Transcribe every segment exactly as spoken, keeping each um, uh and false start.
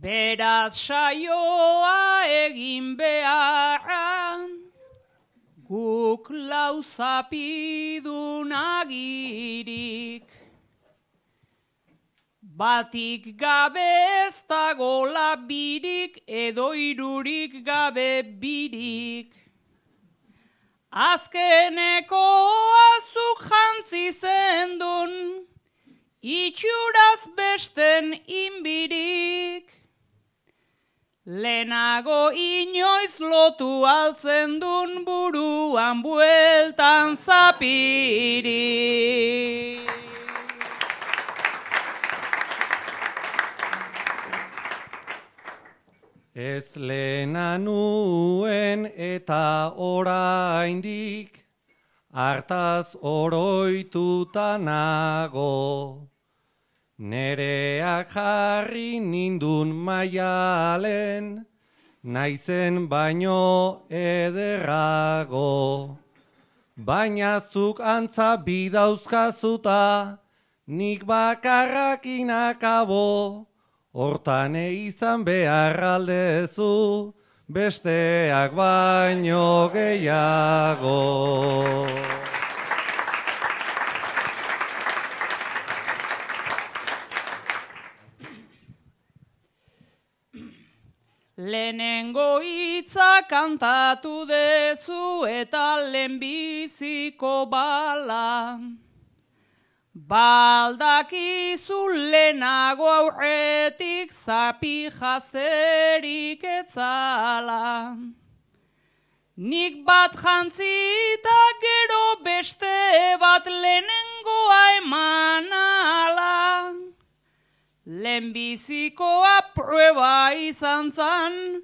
Beraz saioa egin beharra, guk lau zapidun agirik. Batik gabe ez dago labirik, edo irurik gabe birik. Azkeneko azuk jantzi zendun, itxuraz besten inbirik. Lehenago inoiz lotu altzen dun buruan bueltan zapirik. Ez lehena nuen eta oraindik, hartaz oroituta nago. Nereak jarri nindun maialen, naizen baino ederrago. Baina zuk antza bidauzkazuta, nik bakarrakin akabo. Hortan izan behar aldezu, besteak baino gehiago. Lehenengo hitza kantatu dezu eta lehenbiziko bala. Baldakizu lehenago aurretik zapi jazterik etzala. Nik bat jantzita gero beste bat lehenengoa eman ala. Lehenbizikoa prueba izan zan,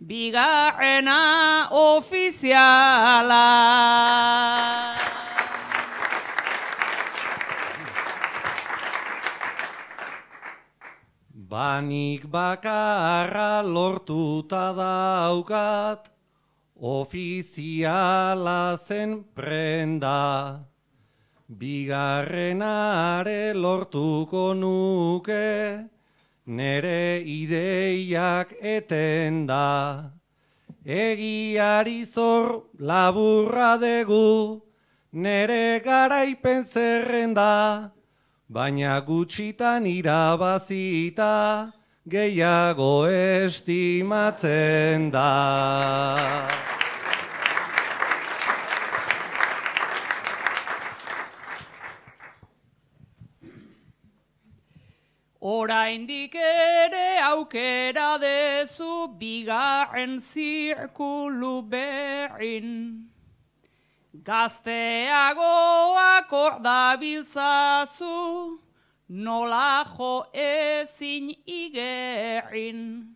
bigarrena ofiziala. Banik bakarra lortuta daukat, ofiziala zen prenda. Bigarrenare lortuko nuke, nere ideiak etenda. Egiari zor laburra degu, nere garaipen zerrenda. Baina gutxitan irabazita, gehiago estimatzen da. Oraindik ere aukera dezu bigarren zirkulu berrin. Gazteagoak ordabiltzazu, nola jo ezin igerrin.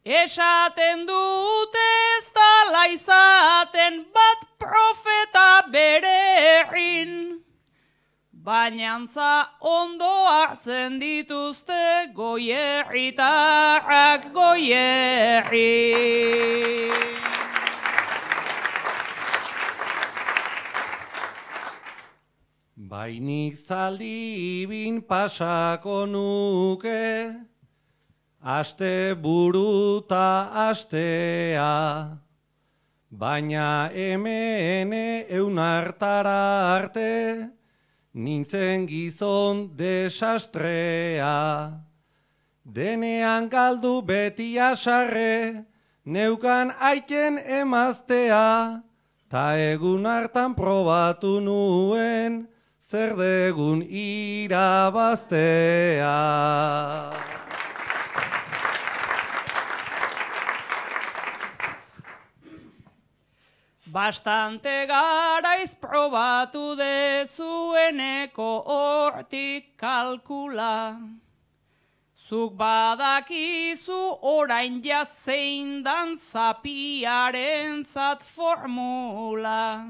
Esaten dute ez dala izaten bat profeta bererrin. Bainantza ondo hartzen dituzte goierritarrak goierri. Bainik zaldi bin pasako nuke, aste buruta astea. Baina hemen eunartara arte, nintzen gizon desastrea. Denean galdu beti asarre, neukan aiten emaztea. Ta egun hartan probatu nuen, zer degun irabaztea. Bastante garaiz probatu dezueneko hortik kalkula. Zuk badakizu orain jazein dan zapiarentzat formula.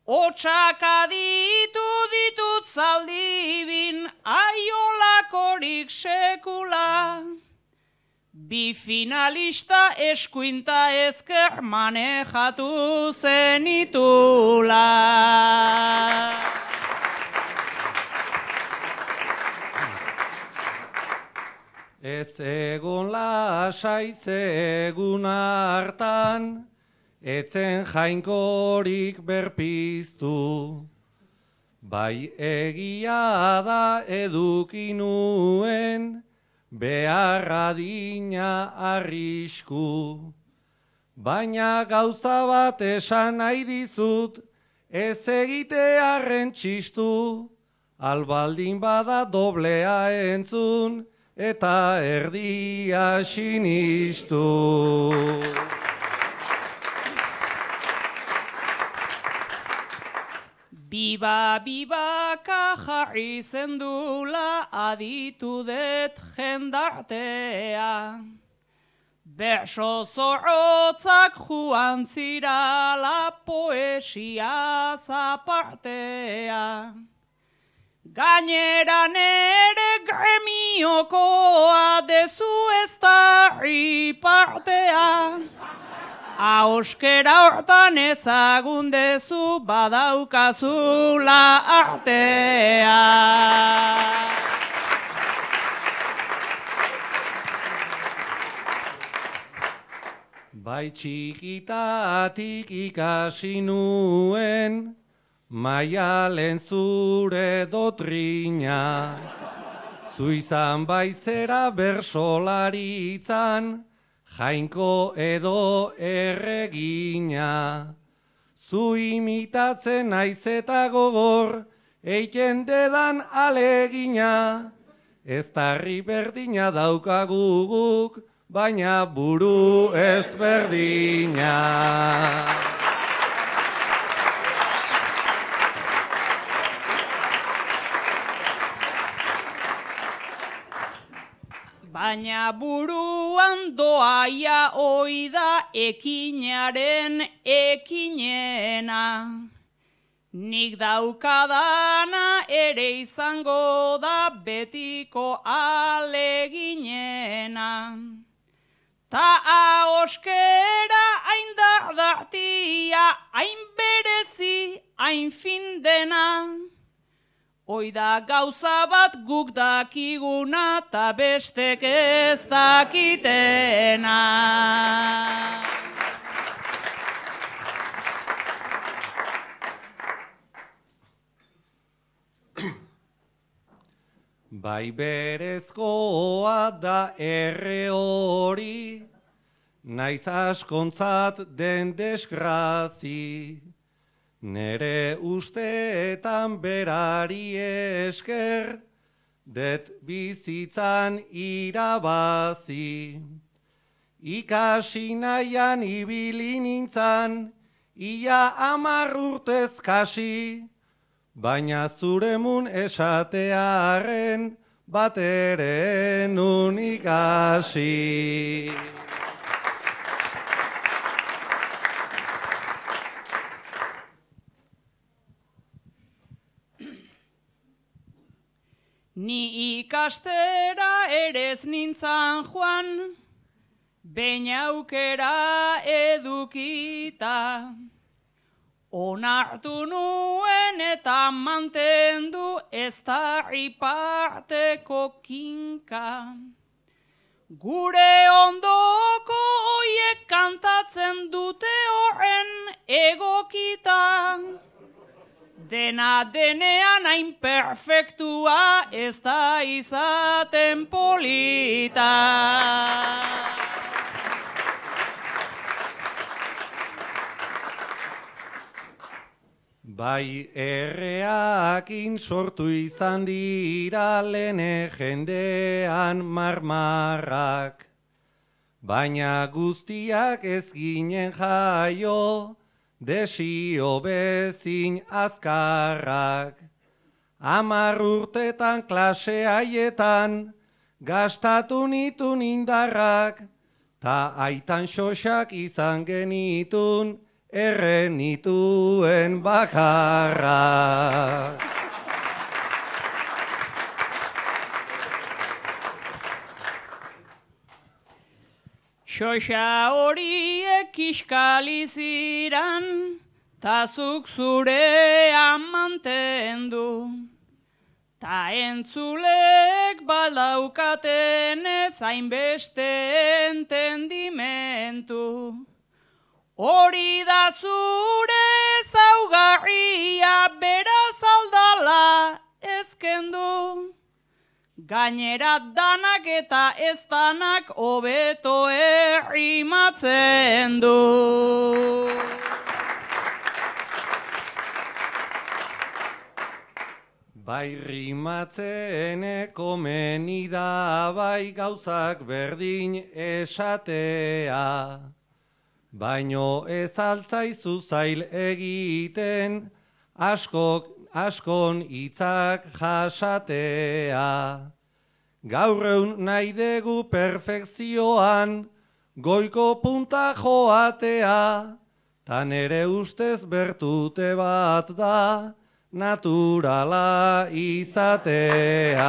Otsak aditu ditut zaldibin aiolakorik sekula. Bi finalista eskuinta ezker manejatu zenitula. Ez egon lasai ze egun hartan, etzen jainkorik berpiztu. Bai egia da eduki nuen, beharra dina arrisku. Baina gauza bat esan nahi dizut, ez egitearren txistu, albaldin bada doblea entzun, eta erdia sinistu. Biba, bibaka jarri zendula aditu det jendartea. Berso zorrotzak joan zirala poesia zapartea. Gainera nere gremiokoa dezu ez da ripartea. Auskera hortan ezagun dezu badaukazula artea. Bai txikitatik ikasi nuen, Maialen zure dotrina. Zu izan baizera bersolaritzan, jainko edo erregina. Zu imitatzen naiz eta gogor, eiten dedan alegina. Ez tarri berdina daukagu guk, baina buru ezberdina. Baina buruan doaia oida ekinaren ekinena. Nik daukadana ere izango da betiko aleginena. Ta ahoskera hain dardartia, hain berezi, hain fin dena. Oida gauza bat guk dakiguna ta bestek ez dakitena. Bai berezkoa da erre hori, naiz askontzat den desgrazi. Nere usteetan berari esker, det bizitzan irabazi. Ikasi nahian ibili nintzan, ia hamar urtez kasi, baina zuremun esatearen bat ere nun ikasi. Ni ikastera erez nintzan joan, behin aukera edukita. Onartu nuen eta mantendu ez da riparteko kinka. Gure ondoko oiek kantatzen dute horren egokita. Dena denean hain perfektua ez da izaten polita. Bai erreakin sortu izan dira lene jendean marmarrak, baina guztiak ez ginen jaio, desio bezin azkarrak. Hamar urtetan klase haietan, gastatu nitun indarrak, ta aitan xoxak izan genitun, erre nituen bakarrak. Xoxa horiek kiskali ziran, ta zuk zurean mantendu. Ta entzulek baldaukaten ez hainbeste entendimentu. Hori da zure ezaugarria, beraz aldala ezkendu. Gainera danak eta ez danak hobeto errimatzen du. Bai rimatzen komeni da, bai gauzak berdin esatea. Baino ez altzaizu zail egiten, askok, askon hitzak jasatea. Gaur egun nahi dugu perfekzioan, goiko punta joatea, ta nere ustez bertute bat da, naturala izatea.